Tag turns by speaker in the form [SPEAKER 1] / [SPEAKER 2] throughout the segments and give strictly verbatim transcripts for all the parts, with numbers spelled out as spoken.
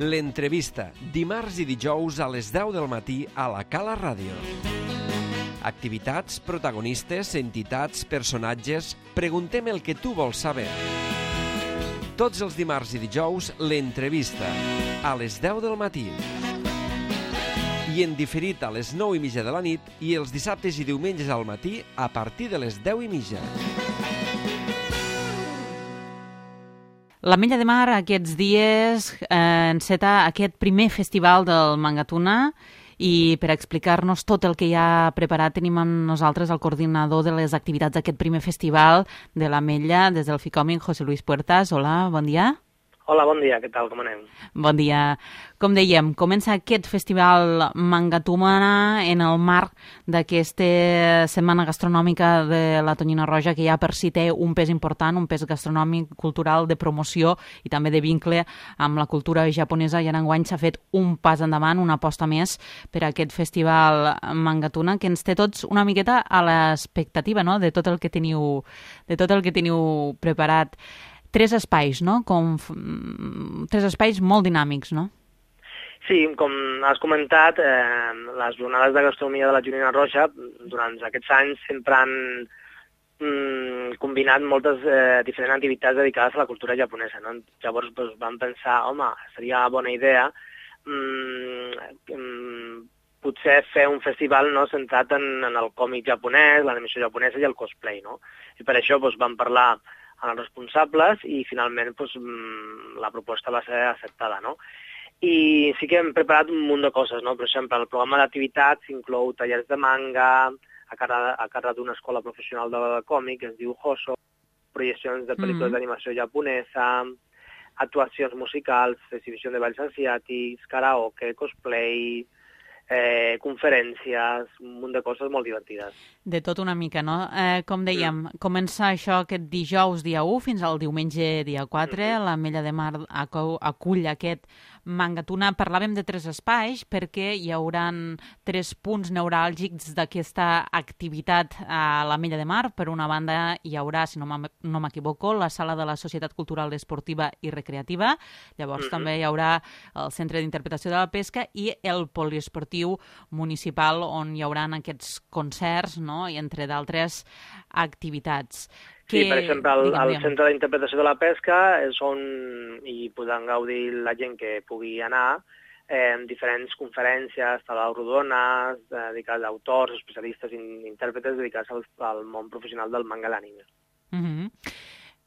[SPEAKER 1] L'entrevista, dimarts i dijous a les deu del matí a la Cala Ràdio. Activitats, protagonistes, entitats, personatges... Preguntem el que tu vols saber. Tots els dimarts i dijous, l'entrevista, a les deu del matí. I en diferit a les nou i mitja de la nit i els dissabtes i diumenges al matí a partir de les deu i mitja.
[SPEAKER 2] L'Ametlla de Mar aquests dies eh, enceta aquest primer festival del Mangatuna i per explicar-nos tot el que hi ha preparat tenim amb nosaltres el coordinador de les activitats d'aquest primer festival de l'Ametlla des del FICOMIC, José Luis Puertas. Hola, bon dia.
[SPEAKER 3] Hola, bon dia, què tal, com anem?
[SPEAKER 2] Bon dia. Com dèiem, comença aquest festival Mangatuna en el marc d'aquesta setmana gastronòmica de la Tonyina Roja, que ja per si té un pes important, un pes gastronòmic, cultural, de promoció i també de vincle amb la cultura japonesa, i en enguany s'ha fet un pas endavant, una aposta més per a aquest festival Mangatuna, que ens té tots una miqueta a l'expectativa, no?, de tot el que teniu, de tot el que teniu preparat. Tres espais, no? Com tres espais molt dinàmics, no?
[SPEAKER 3] Sí, com has comentat, eh, les jornades de gastronomia de la Tonyina Roja durant aquests anys sempre han mm, combinat moltes eh, diferents activitats dedicades a la cultura japonesa, no? Llavors doncs, vam pensar, home, seria bona idea mm, mm, potser fer un festival, no?, centrat en, en el còmic japonès, l'animació japonesa i el cosplay, no? I per això doncs, vam parlar amb els responsables i finalment doncs, la proposta va ser acceptada, no? I sí que hem preparat un munt de coses, no? Per exemple, el programa d'activitats inclou tallers de manga a càrrec, a càrrec d'una escola professional de còmic que es diu Hoso, projeccions de pel·lícules mm-hmm. d'animació japonesa, actuacions musicals, exhibició de balls asiàtics, karaoke, cosplay, Eh, conferències, un munt de coses molt divertides.
[SPEAKER 2] De tot una mica, no? Eh, com dèiem, mm. comença això aquest dijous dia u fins al diumenge dia quatre, mm-hmm. l'Ametlla de Mar acull aquest Mangatuna. Parlàvem de tres espais perquè hi hauran tres punts neuràlgics d'aquesta activitat a l'Ametlla de Mar. Per una banda hi haurà, si no m'equivoco, la sala de la Societat Cultural Esportiva i Recreativa, llavors mm-hmm. també hi haurà el Centre d'Interpretació de la Pesca i el Poliesportiu municipal, on hi haurà aquests concerts, no?, i entre d'altres activitats.
[SPEAKER 3] Sí, que, per exemple, el, diguem, el Centre d'Interpretació de la Pesca és on hi podran gaudir la gent que pugui anar eh, en diferents conferències, taules rodones, eh, dedicades a autors, especialistes i intèrpretes dedicats al, al món professional del manga i l'anime.
[SPEAKER 2] Mm-hmm.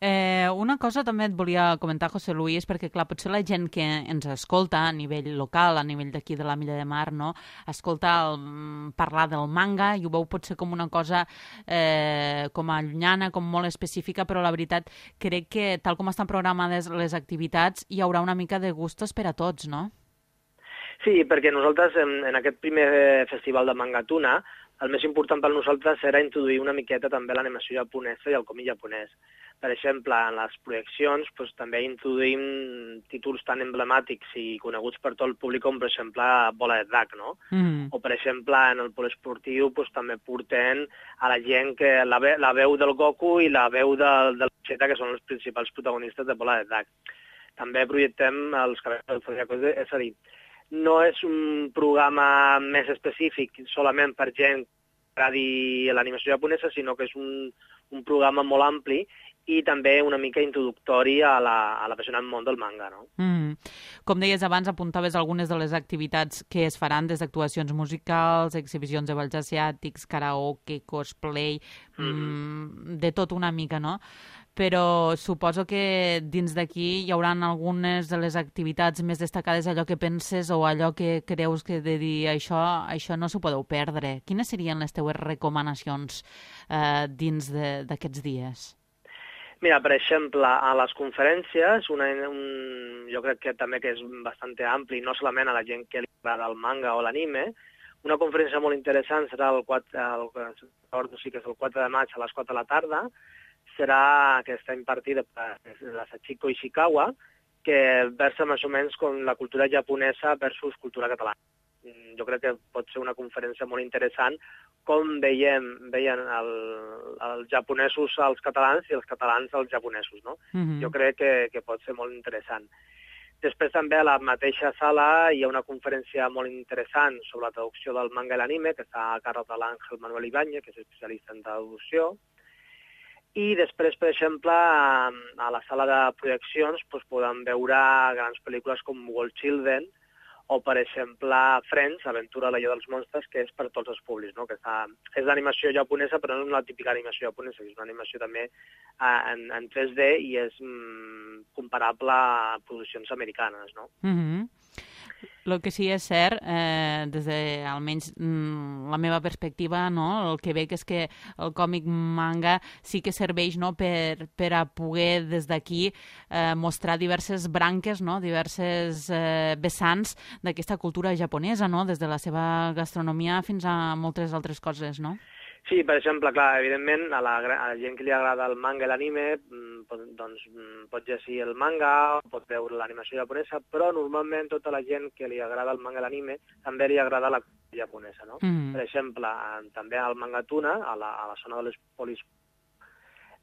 [SPEAKER 2] Eh, una cosa també et volia comentar, José Luis, perquè clar, potser la gent que ens escolta a nivell local, a nivell d'aquí de l'Ametlla de Mar, no?, escolta el, parlar del manga i ho veu potser com una cosa eh, com a llunyana, com molt específica, però la veritat crec que tal com estan programades les activitats hi haurà una mica de gustos per a tots, no?
[SPEAKER 3] Sí, perquè nosaltres en, en aquest primer festival de Mangatuna el més important per nosaltres era introduir una miqueta també l'animació japonesa i el còmic japonès. Per exemple, en les projeccions doncs, també introduïm títols tan emblemàtics i coneguts per tot el públic com, per exemple, Bola de Drac, no? Mm. O, per exemple, en el poliesportiu doncs, també porten a la gent que la, ve, la veu del Goku i la veu de, de la Vegeta, que són els principals protagonistes de Bola de Drac. També projectem els cabells del Zodiaco, és a dir, no és un programa més específic solament per gent que agradi l'animació japonesa, sinó que és un, un programa molt ampli i també una mica introductori a l'apassionant món del manga, no?
[SPEAKER 2] Mm. Com deies abans, apuntaves algunes de les activitats que es faran, des d'actuacions musicals, exhibicions de balls asiàtics, karaoke, cosplay, mm. Mm, de tot una mica, no? Però suposo que dins d'aquí hi haurà algunes de les activitats més destacades, allò que penses o allò que creus que de dir això, això no s'ho podeu perdre. Quines serien les teves recomanacions eh, dins d'aquests dies?
[SPEAKER 3] Mira, per exemple, a les conferències, una, un, jo crec que també que és bastant ampli, no solament a la gent que li agrada el manga o l'anime, una conferència molt interessant serà el quatre, el, el, sí que és el quatre de maig a les quatre de la tarda, serà que està impartida per la Sachiko Ishikawa, que versa més o menys com la cultura japonesa versus cultura catalana. Jo crec que pot ser una conferència molt interessant, com veiem, veien el, els japonesos als catalans i els catalans als japonesos, no? Mm-hmm. Jo crec que, que pot ser molt interessant. Després també a la mateixa sala hi ha una conferència molt interessant sobre la traducció del manga i l'anime, que està a càrrec de l'Àngel Manuel Ibáñez, que és especialista en traducció. I després, per exemple, a la sala de projeccions doncs, podem veure grans pel·lícules com World Children, o, per exemple, Friends, Aventura a la Illa dels Monstres, que és per tots els públics, no? Que està, és d'animació japonesa, però no és una típica animació japonesa, és una animació també en, en tres D i és mm, comparable a produccions americanes, no?
[SPEAKER 2] Mm-hmm. El que sí és cert, eh, des de almenys mm, la meva perspectiva, no? El que veig és que el còmic manga sí que serveix, no? per, per a poder des d'aquí eh, mostrar diverses branques, no? Diverses eh, vessants d'aquesta cultura japonesa, no? Des de la seva gastronomia fins a moltes altres coses, no?
[SPEAKER 3] Sí, per exemple, clar, evidentment, a la, a la gent que li agrada el manga i l'anime, doncs pot llegir el manga, pot veure l'animació japonesa, però normalment tota la gent que li agrada el manga i l'anime també li agrada la cultura japonesa, no? Mm. Per exemple, també al Manga Tuna, a la, a la zona de les polis,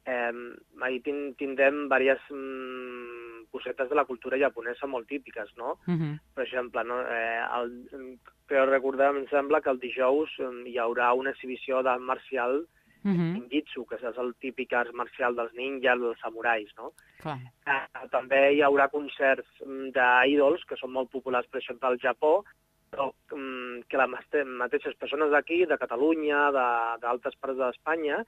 [SPEAKER 3] eh, ahí tindrem diverses mm, cosetes de la cultura japonesa molt típiques, no? Mm-hmm. Per exemple, no? Eh, el, però recordar, em sembla que el dijous hi haurà una exhibició d'art marcial mm-hmm. ninjitsu, que és el típic art marcial dels ninjas, dels samurais, no? Clar. Eh, també hi haurà concerts d'ídols que són molt populars, per exemple, al Japó, però um, que les mateixes persones d'aquí, de Catalunya, d'altres parts d'Espanya,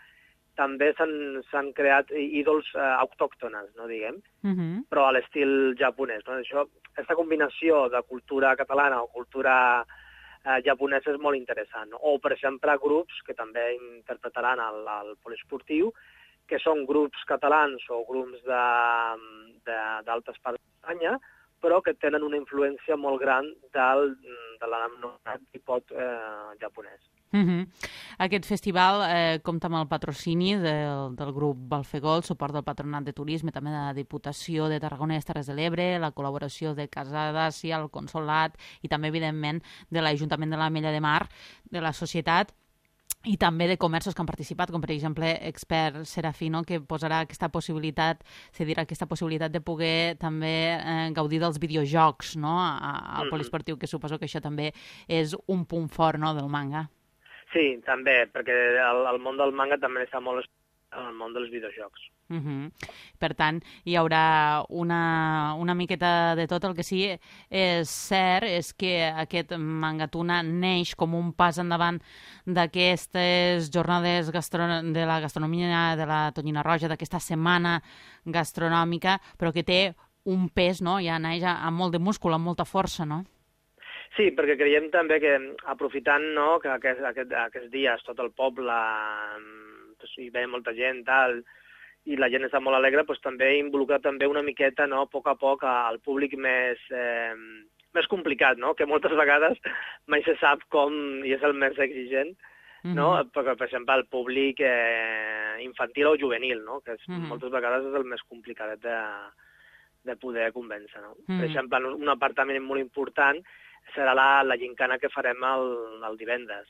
[SPEAKER 3] també s'han creat ídols eh, autòctones, no diguem, mm-hmm. però a l'estil japonès. No? Això, aquesta combinació de cultura catalana o cultura eh, japonesa és molt interessant. No? O, per exemple, grups que també interpretaran el, el poliesportiu, que són grups catalans o grups d'altres parts d'Espanya, però que tenen una influència molt gran del, de l'anomenat hip-hop eh, japonès.
[SPEAKER 2] Mm-hmm. Aquest festival eh, compta amb el patrocini del, del grup Balfegol, suport del Patronat de Turisme, també de la Diputació de Tarragona i les Terres de l'Ebre, la col·laboració de Casa d'Àsia, el Consolat i també, evidentment, de l'Ajuntament de l'Ametlla de Mar, de la societat, i també de comerços que han participat, com per exemple Expert Serafino, que posarà aquesta possibilitat, cedirà aquesta possibilitat de poder també eh, gaudir dels videojocs, no? Al poliesportiu, que suposo que això també és un punt fort, no?, del manga.
[SPEAKER 3] Sí, també, perquè el, el món del manga també està molt en el món dels videojocs.
[SPEAKER 2] Uh-huh. Per tant, hi haurà una, una miqueta de tot. El que sí és cert és que aquest Manga Tuna neix com un pas endavant d'aquestes jornades gastro... de la gastronomia de la Tonyina Roja, d'aquesta setmana gastronòmica, però que té un pes, no? Ja neix amb molt de múscul, amb molta força, no?
[SPEAKER 3] Sí, perquè creiem també que aprofitant, no, que aquest, aquest, aquests dies tot el poble doncs, hi ve molta gent tal, i la gent està molt alegre, doncs, també involucrar també una miqueta, no, a poc a poc al públic més, eh, més complicat, no? Que moltes vegades mai se sap com i és el més exigent, mm-hmm. no? Perquè, per exemple, el públic eh, infantil o juvenil, no? Que és, mm-hmm. moltes vegades és el més complicat de, de poder convèncer, no? Mm-hmm. Per exemple, un apartament molt important serà la, la gincana que farem el, el divendres.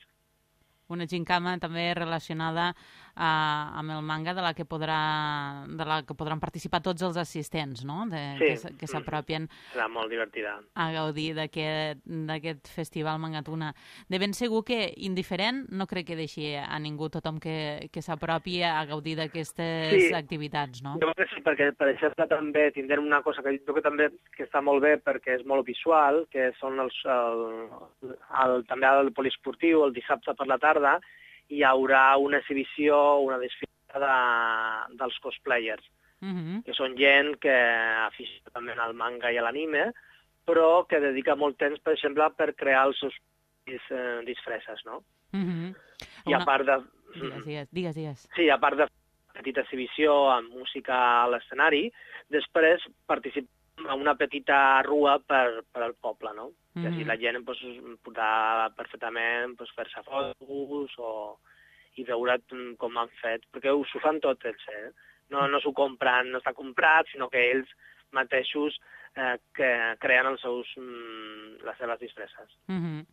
[SPEAKER 2] Una gincana també relacionada uh, amb el manga de la que podrà, de la que podran participar tots els assistents, no? De,
[SPEAKER 3] sí.
[SPEAKER 2] Que s'apropien
[SPEAKER 3] serà molt divertida
[SPEAKER 2] a gaudir d'aquest festival Manga Tuna. De ben segur que indiferent no crec que deixi a ningú, tothom que, que s'apropi a gaudir d'aquestes sí. activitats, no?
[SPEAKER 3] Jo crec que sí, perquè per exemple també tindrem una cosa que jo que també que està molt bé perquè és molt visual, que són els, el, el, també el poliesportiu, el dissabte per la tarda, hi haurà una exhibició, una desfilada de, dels cosplayers, mm-hmm. que són gent que aficionen també al manga i a l'anime, però que dedica molt temps, per exemple, per crear els seus dis, eh, disfresses, no? Mm-hmm. I
[SPEAKER 2] una...
[SPEAKER 3] a part de...
[SPEAKER 2] Digues, digues, digues, digues.
[SPEAKER 3] Sí, a part de petita exhibició amb música a l'escenari, després participem en una petita rua per, per al poble, no? Mm-hmm. Que així la gent pues, podrà perfectament pues, fer-se fotos o, i veure com han fet, perquè ho s'ho fan tots ells, eh? No, no s'ho compren, no està comprat, sinó que ells mateixos eh, que creen els seus, mm, les seves disfresses.
[SPEAKER 2] Mm-hmm.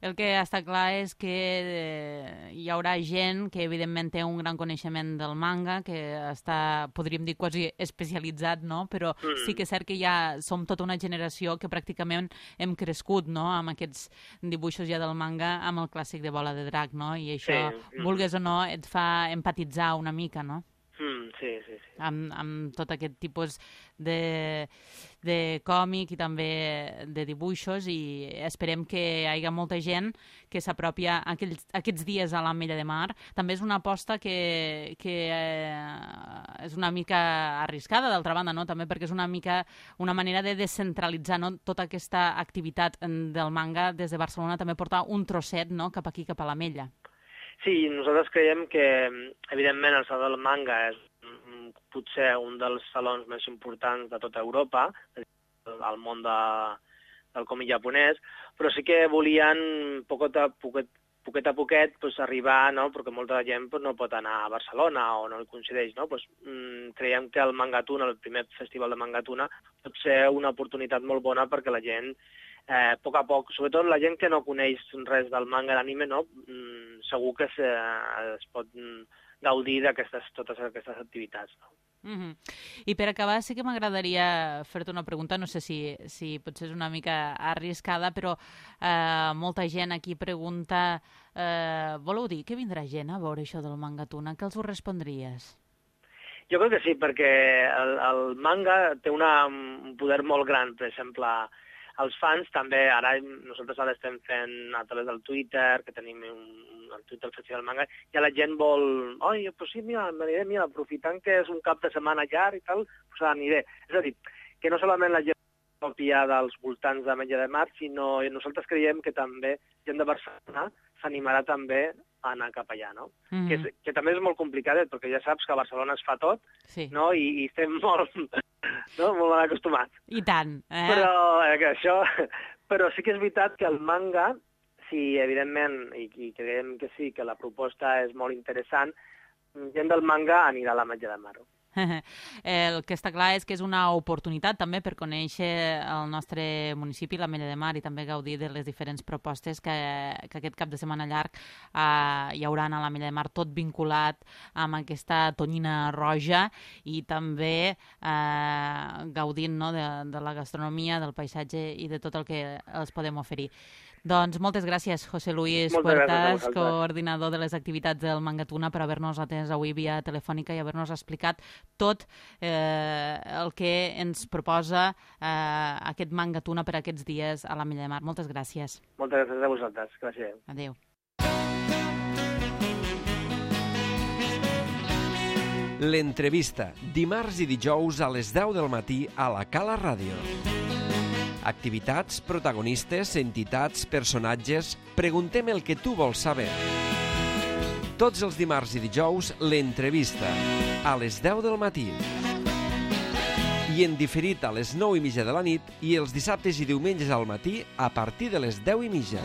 [SPEAKER 2] El que està clar és que eh, hi haurà gent que evidentment té un gran coneixement del manga, que està, podríem dir, quasi especialitzat, no? Però mm. sí que és cert que ja som tota una generació que pràcticament hem crescut, no?, amb aquests dibuixos ja del manga, amb el clàssic de Bola de Drac, no? I això, sí. vulgues o no, et fa empatitzar una mica, no?
[SPEAKER 3] Mm, sí, sí, sí.
[SPEAKER 2] Amb, amb tot aquest tipus de, de còmic i també de dibuixos, i esperem que hi hagi molta gent que s'apropi a aquells, aquests dies a l'Ametlla de Mar. També és una aposta que, que eh, és una mica arriscada, d'altra banda, no? També perquè és una mica una manera de descentralitzar, no?, tota aquesta activitat del manga des de Barcelona, també portar un trosset, no?, cap aquí, cap a l'Ametlla.
[SPEAKER 3] Sí, nosaltres creiem que, evidentment, el Saló del Manga és potser un dels salons més importants de tota Europa, al món de, del còmic japonès, però sí que volien, poquet a poquet, poquet a poquet, pues, arribar, no?, perquè molta gent pues, no pot anar a Barcelona o no hi coincideix, no? Pues, mm, creiem que el Mangatuna, el primer festival de Mangatuna, pot ser una oportunitat molt bona perquè la gent, eh, a poc a poc, sobretot la gent que no coneix res del manga i l'anime, no?, mm, segur que es, eh, es pot gaudir d'aquestes totes aquestes activitats, no?
[SPEAKER 2] Mm-hmm. I per acabar sí que m'agradaria fer-te una pregunta, no sé si, si potser és una mica arriscada, però eh, molta gent aquí pregunta, eh, voleu dir que vindrà gent a veure això del Mangatuna? Què els ho respondries?
[SPEAKER 3] Jo crec que sí, perquè el, el manga té una, un poder molt gran. Per exemple, els fans també, ara nosaltres ara estem fent a través del Twitter, que tenim un, el Twitter del Festival Manga, i la gent vol, oi, pues sí, mira, m'aniré, mira, aprofitant que és un cap de setmana llarg i tal, pues aniré. És a dir, que no solament la gent copia dels voltants d'Ametlla de Mar, sinó nosaltres creiem que també gent de Barcelona s'animarà també a anar cap allà, no? Mm-hmm. que, és, que també és molt complicat, perquè ja saps que a Barcelona es fa tot, sí. no? I, i estem molt, no? molt mal acostumats.
[SPEAKER 2] I tant. Eh?
[SPEAKER 3] Però, eh, que això, però sí que és veritat que el manga, si evidentment, i, i creiem que sí, que la proposta és molt interessant, gent del manga anirà a l'Ametlla de Mar.
[SPEAKER 2] El que està clar és que és una oportunitat també per conèixer el nostre municipi, l'Ametlla de Mar, i també gaudir de les diferents propostes que, que aquest cap de setmana llarg eh, hi haurà a l'Ametlla de Mar, tot vinculat amb aquesta tonyina roja, i també eh, gaudint, no?, de, de la gastronomia, del paisatge i de tot el que els podem oferir. Doncs moltes gràcies, José Luis Puertas, coordinador de les activitats del Mangatuna, per haver-nos atès avui via telefònica i haver-nos explicat tot eh, el que ens proposa eh, aquest Mangatuna per aquests dies a l'Ametlla de Mar. Moltes gràcies.
[SPEAKER 3] Moltes gràcies a vosaltres. Gràcies.
[SPEAKER 2] Adéu.
[SPEAKER 1] L'entrevista, dimarts i dijous a les deu del matí a la Cala Ràdio. Activitats, protagonistes, entitats, personatges... Preguntem el que tu vols saber. Tots els dimarts i dijous, l'entrevista, a les deu del matí. I en diferit a les nou i mitja de la nit i els dissabtes i diumenges al matí a partir de les deu i mitja.